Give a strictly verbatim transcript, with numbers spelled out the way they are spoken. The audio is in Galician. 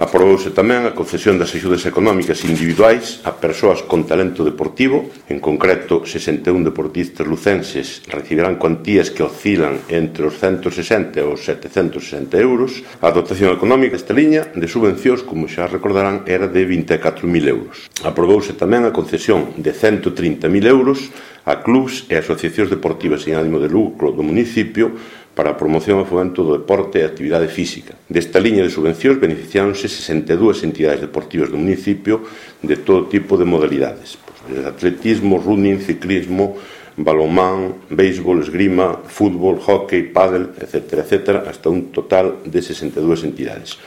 Aprobouse tamén a concesión das axudas económicas individuais a persoas con talento deportivo. En concreto, sesenta e un deportistas lucenses recibirán cuantías que oscilan entre os ciento sesenta e os setecentos sesenta euros. A dotación económica desta liña de subvencións, como xa recordarán, era de vinte e catro mil euros. Aprobouse tamén a concesión de cento trinta mil euros a clubs e asociacións deportivas sin ánimo de lucro do municipio para a promoción e fomento do deporte e actividade física. Desta liña de subvencións beneficiáronse sesenta e dúas entidades deportivas do municipio de todo tipo de modalidades. Desde atletismo, running, ciclismo, balonmán, béisbol, esgrima, fútbol, hóquei, pádel, etcétera, etcétera, hasta un total de sesenta e dúas entidades.